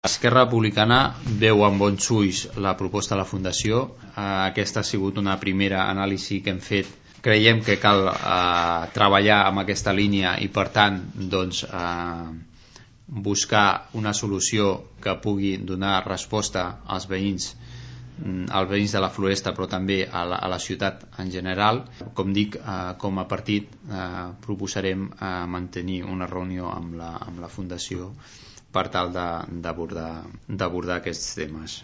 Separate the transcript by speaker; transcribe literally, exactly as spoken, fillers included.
Speaker 1: Esquerra Republicana veu amb bons ulls la proposta de la Fundació. Aquesta ha sigut una primera anàlisi que hem fet. Creiem que cal eh, treballar amb aquesta línia i per tant doncs, eh, buscar una solució que pugui donar resposta als veïns als veïns de la Floresta, però també a la, a la ciutat en general. Com dic, eh, com a partit eh, proposarem eh, mantenir una reunió amb la, amb la Fundació per tal d'abordar d'abordar aquests temes.